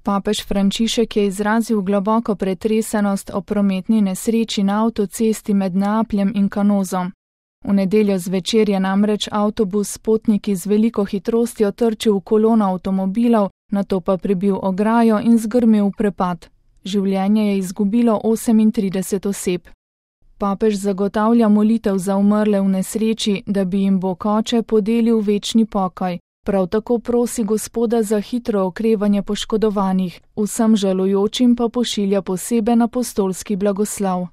Papež Frančišek je izrazil globoko pretresenost o prometni nesreči na avtocesti med Neapljem in Canozom. V nedeljo zvečer je namreč avtobus s potniki z veliko hitrostjo trčil v kolono avtomobilov, nato pa prebil ograjo in zgrmel v prepad. Življenje je izgubilo 38 oseb. Papež zagotavlja molitev za umrle v nesreči, da bi jim Bog Oče podelil večni pokoj. Prav tako prosi Gospoda za hitro okrevanje poškodovanih, vsem žalujočim pa pošilja poseben apostolski blagoslov.